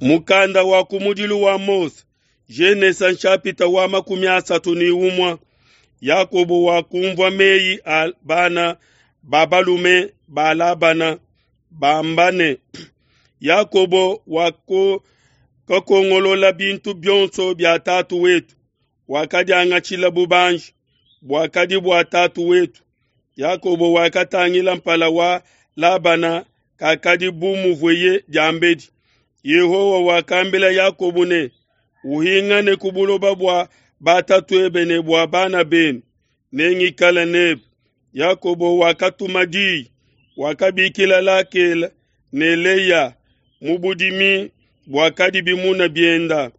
Mukanda wa kumudilu wa Mose, Genesa nshapita wa 31. Yakobo wakumvua meyi a bana ba balume ba Labana bamba ne, Yakobo wakakongolola bintu bionso bia tatu wetu, wakadiangatshila bubanji buakadi bua tatu wetu. Yakobo wakatangila mpala wa Labana kakadi bu muvueye diambedi. Yehowa wakambila Yakobo ne, uhingane ku buloba bua batatuebe ne bua bana benu, nengikale nebe. Yakobo wakatuma diyi, wakabikila Lakela ne Leya mu budimi buakadi bimuna bienda.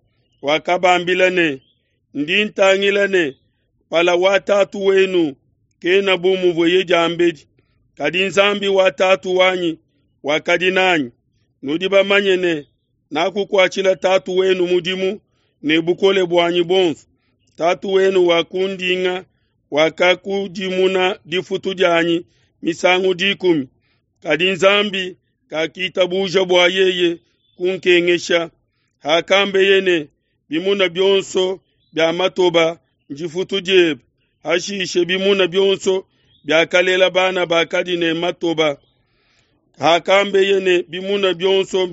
Wakabambila ne, ndi ntangila ne, mpala wa tatu wenu kena bu muvueye diambedi, kadi Nzambi wa tatu wanyi wakadi nanyi. Nudi bamanye ne, nakukuatshila tatu wenu mudimu ne bukole buanyi buonso. Tatu wenu wakundinga, wakakudimuna difutu dianyi misangu 10, kadi Nzambi kakitabuja bua yeye kunkengesha. Hakambeye ne, bimuna bionso bia matoba ndifutu diebe, hashishe bimuna bionso biakalela bana bakadi ne matoba. Hakambeye ne, bimuna bionso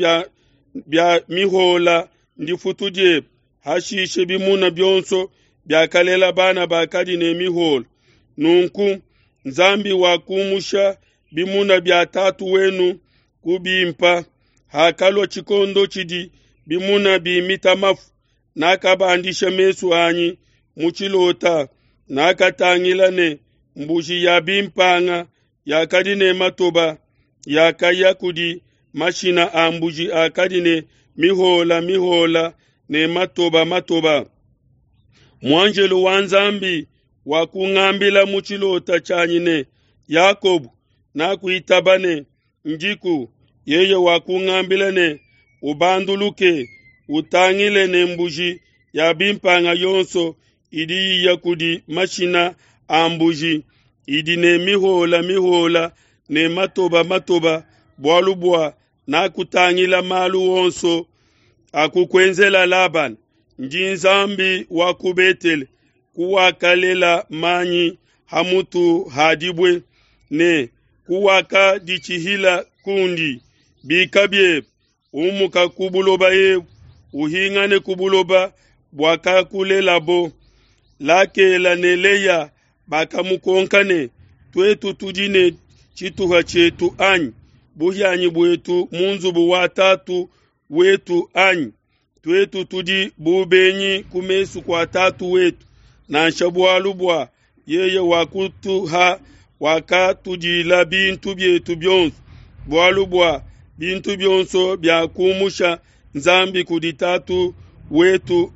bia mihola ndifutu diebe, hashishe bimuna bionso biakalela bana bakadi ne mihola. Nunku Nzambi wakumusha bimuna bia tatu wenu kubimpa. Hakalua tshikondo tshidi bimuna bimita mafu, nakabandisha mesu anyi mu tshilota, nakatangila ne, mbuji ya bimpanga yakadi ne matoba yakaya kudi mashina a mbuji akadi ne mihola mihola ne matoba matoba. Muanjelo wa Nzambi wakungambila mu tshilota tshianyi ne, Yakobo, nakuitaba ne, ndiku. Yeye wakungambila ne, ubanduluke, utangile ne mbuji ya bimpanga yonso idi iya kudi mashina a mbuji idi ne mihola mihola ne matoba matoba, bualu bua nakutangila malu onso akukuenzela Labana. Ndi Nzambi wa ku Betele, kuwakalela manyi ha mutu ha dibue, ne kuwakaditshihila kundi. Bika biebe, umuka ku buloba ebu, uhingane ku buloba buakakulelabo. Lakela ne Leya bakamukonka ne, tuetu tudi ne tshituha tshietu anyi, buhianyi buetu mu nzubu wa tatu wetu anyi? Tuetu tudi bu benyi ku mesu kua tatu wetu, nansha bualu bua yeye wakutuha wakatudila bintu bietu bionso, bualu bua bintu bionso bia kumusha Nzambi kudi tatu wetu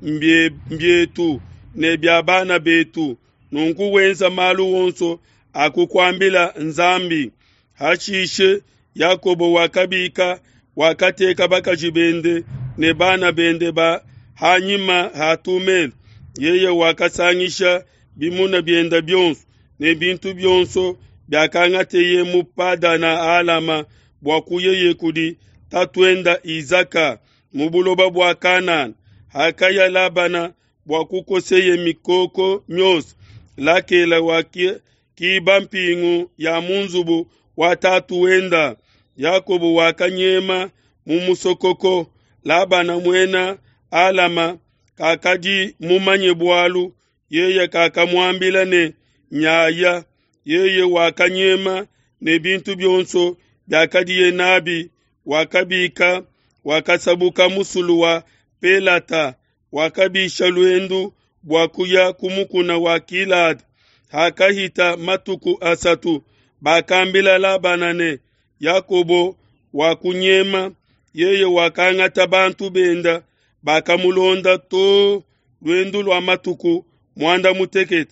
mbietu ne bia bana betu. Nunku wenza malu onso akukuambila Nzambi. Hashishe Yakobo wakabika, wakateka bakaji bende ne bana bende ba hanyima ha tumelo. Yeye wakasangisha bimuna bienda bionso ne bintu bionso biakangateye mu Padana Alama bua kuyeye kudi tatuenda Izaka mu buloba bua Kanana. Hakaya Labana bua kukoseye mikoko miosa, Lakela wakiba mpingu ya mu nzubu wa tatu wenda. Yakobo wakanyema mu musokoko. Labana muena Alama kakadi mumanye bualu, yeye kakamuambila ne, nyaya. Yeye wakanyema ne bintu bionso biakadiye nabi, wakabika, wakasabuka musulu wa Pelata, wakabisha luendu bua kuya ku mukuna wa Gilada. Hakahita matuku asatu, bakambila Labana ne, Yakobo wakunyema. Yeye wakangata bantu benda, bakamulonda to luendu lua matuku 18.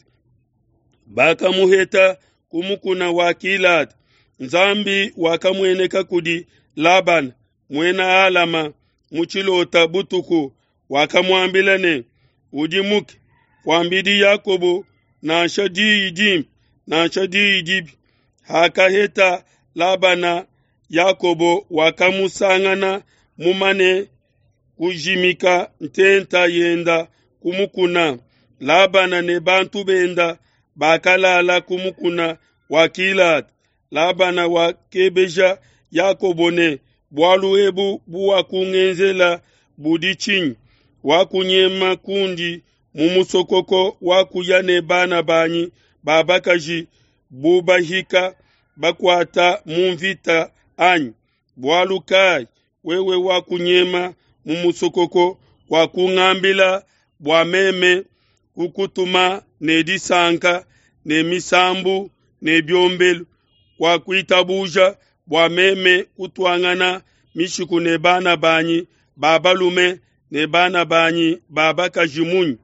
Bakamuheta ku mukuna wa Gilada. Nzambi wakamueneka kudi Labana muena Alama mu tshilota butuku, wakamuambila ne, udimuke, kuambidi Yakobo nansha diyi dimpe nansha diyi dibi. Hakaheta Labana Yakobo, wakamusangana mumane kujimika ntenta yenda ku mukuna. Labana ne bantu benda bakalala ku mukuna wa Gilada. Labana wakebeja Yakobo ne, Bualu ebu buwakungenzela budi tshinyi? Wakunyema kundi mu musokoko, wakuya ne bana banyi ba bakaji bu bahika bakuata mu mvita anyi? Bualu kai wewe wakunyema mu musokoko, wakungambila bua meme kukutuma ne disanka ne misambu ne biombelu, wakuitabuja bua meme kutuangana mishiku ne bana banyi ba balume ne bana banyi ba bakaji munyi?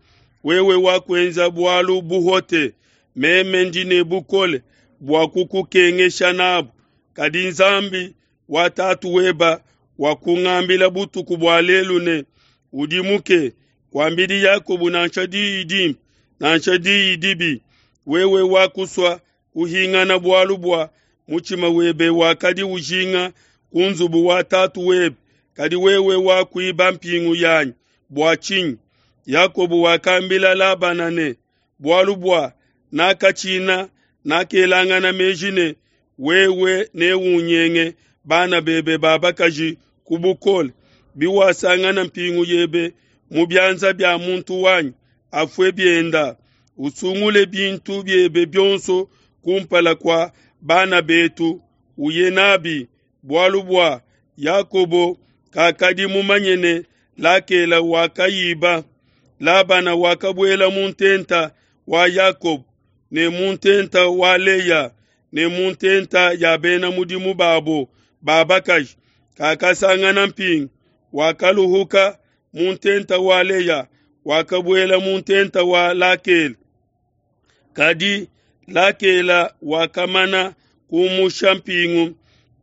Wewe wakuenza bualu buhote, meme ndi ne bukole bua kukukengesha nabu. Kadi Nzambi wa tatu weba wakungambila butuku bua lelu ne, Udimuke, kuambidi Yakobo nansha diyi dimpe nansha diyi dibi. Wewe wakusua kuhingana bualu bua mutshima webe wakadi ujinga ku nzubu wa tatu webe, kadi wewe wakuiba mpingu yanyi bua tshinyi? Yakobo wakambila Labana ne, Bualu bua nakatshina, nakelangana meji ne, wewe neunyenge bana bebe ba bakaji ku bukole. Biwasangana mpingu yebe mu bianza bia muntu wanyi, afue bienda. Usungule bintu biebe bionso kumpala kua bana betu, uye nabi. Bualu bua Yakobo kakadi mumanye ne Lakela wakayiba. Labana wakabuela mu ntenta wa Yakobo ne mu ntenta wa Leya ne mu ntenta ya bena mudimu babo ba bakaji, kakasangana mpingu. Wakaluhuka mu ntenta wa Leya, wakabuela mu ntenta wa Lakela. Kadi Lakela wakamana kumusha mpingu,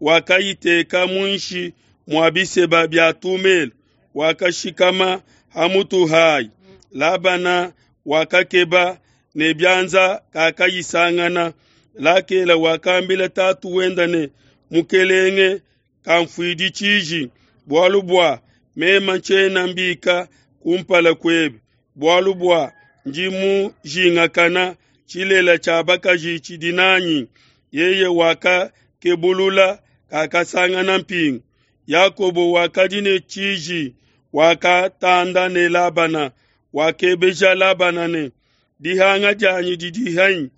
wakayiteka muinshi mua biseba bia tumelo, wakashikama ha mutu hayi. Labana wakakeba ne bianza, kakayisangana. Lakela wakambila tatu wenda ne, Mukelenge kanfuidi tshiji, bualu bua meme ntshiena mbika kumpala kuebe, bualu bua ndi mujingakana tshilela tshia bakaji tshidi nanyi. Yeye wakakebulula, kakasangana mpingu. Yakobo wakadi ne tshiji, wakatanda ne Labana, wakebeja Labana ne, Dihanga dianyi didi henyi,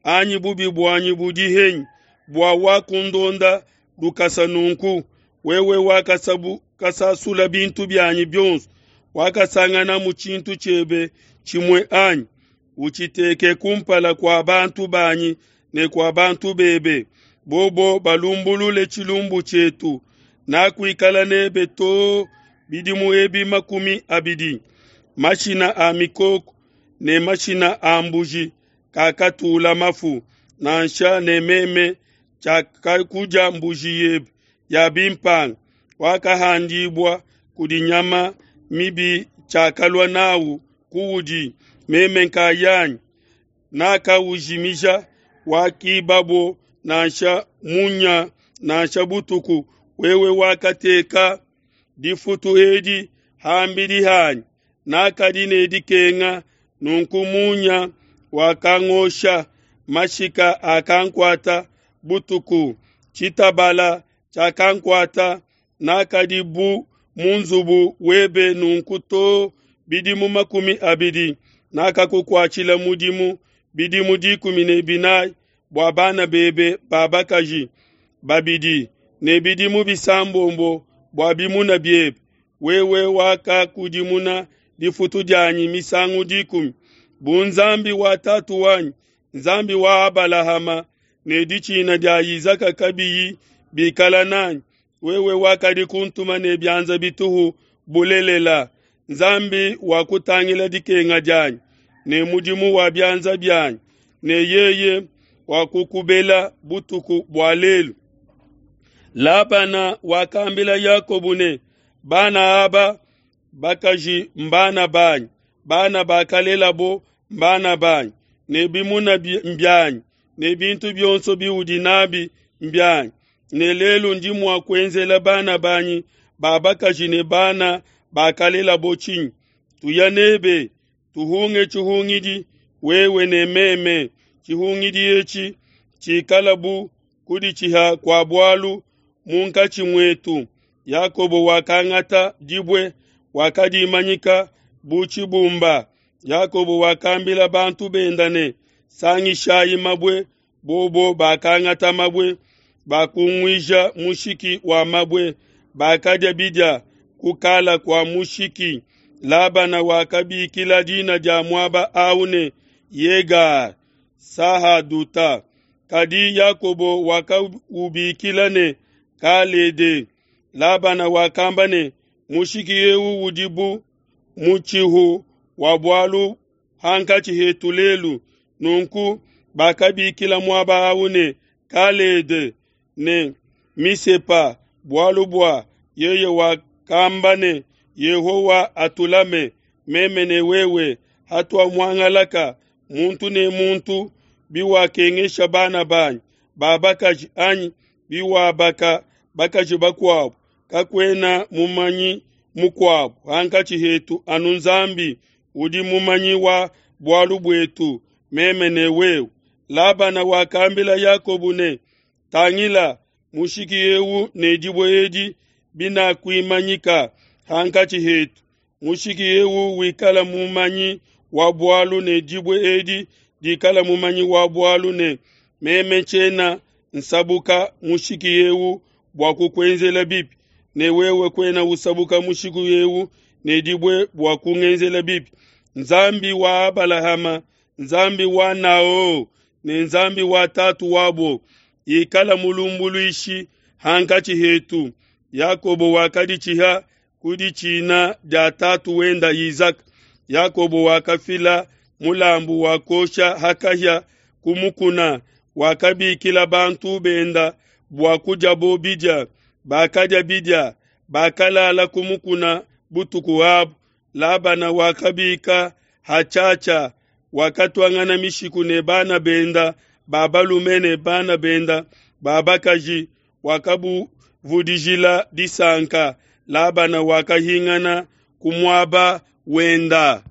anyi bubi buanyi budi henyi, bua wakundonda lukasa nunku? Wewe wakasasula bintu bianyi bionso, wakasanganamu tshintu tshiebe tshimue anyi? Utshiteke kumpala kua bantu banyi ne kua bantu bebe, bobo balumbulule tshilumbu tshietu. Nakuikala nebe too bidimu ebi 20. Mashina a mikoko ne mashina a mbuji kakatula mafu, nansha ne meme tshiakakudia mbuji yebe ya bimpanga. Wakahandibua kudi nyama mibi, tshiakalua nawu kuudi meme nkayanyi nakaujimija. Wakibabo nansha munya nansha butuku. Wewe wakateka difutu edi ham'bidi hanyi, nakadi ne dikenga, nunku munya wakangosha, mashika akankuata butuku, tshitabala tshiakankuata. Nakadi bu mu nzubu webe nunku too bidimu 20, nakakukuatshila mudimu bidimu 14 bua bana bebe ba bakaji babidi ne bidimu 6 bua bimuna biebe. Wewe wakakudimuna difutu dianyi misangu 10. Bu Nzambi wa tatu wanyi, Nzambi wa Abalahama, ne ditshina dia Izaka kabiyi bikala nanyi, wewe wakadi kuntuma ne bianza bituhu bulelela. Nzambi wakutangila dikenga dianyi ne mudimu wa bianza bianyi, ne yeye wakukubela butuku bua lelu. Labana wakambila Yakobo ne, Bana aba bakaji mbana banyi, bana bakalelabo mbana banyi, ne bimuna mbianyi, ne bintu bionso biudi nabi mbianyi. Ne lelu ndi mua kuenzela bana banyi ba bakaji ne bana bakalelabo tshinyi? Tuya n'ebe, tuhunge tshihungidi, wewe ne meme, tshihungidi etshi tshikala bu kuditshiha kua bualu munkatshi muetu. Yakobo wakangata dibue, wakadimanyika bu tshibumba. Yakobo wakambila bantu benda ne, Sangishayi mabue. Bobo bakangata mabue, bakunguija mushiki wa mabue, bakadia bidia kukala kua mushiki. Labana wakabikila dina dia muaba au ne Yegar Sahaduta, kadi Yakobo wakaubikila ne Kalede. Labana wakamba ne, mushiki eu udi bu mutshihu wa bualu hankatshi hetu lelu. Nunku bakabikila muaba au ne Kalede ne Misepa, bualu bua yeye wakamba ne, Yehowa atulame, meme ne wewe, hatuamuangalaka muntu ne muntu, biwakengesha bana banyi ba bakaji anyi biwabaka bakaji bakuabu, kakuena mumanyi mukuabu hankatshi hetu anu Nzambi udi mumanyi wa bualu buetu, meme ne wewe. Labana wakambila Yakobo ne, Tangila, mushiki eu ne dibue edi binakuimanyika hankatshi hetu. Mushiki eu wikala mumanyi wa bualu ne dibue edi dikala mumanyi wa bualu ne meme tshiena nsabuka mushiki eu bua kukuenzela bibi, ne wewe kuena usabuka mushiki eu ne dibue bua kungenzela bibi. Nzambi wa Abalahama, Nzambi wa Nao ne Nzambi wa tatu wabo ikala mulumbuluishi hankatshi hetu. Yakobo wakaditshiha ku ditshina dia tatu wenda Izaka. Yakobo wakafila mulambu wa kosha ha kahia ku mukuna, wakabikila bantu benda bua kudiabo bidia. Bakadia bidia, bakalala ku mukuna butuku abu. Labana wakabika hatshiatshia, wakatuangana mishiku ne bana benda ba balume ne bana benda ba bakaji, wakabuvudijila disanka. Labana wakahingana ku muaba wenda.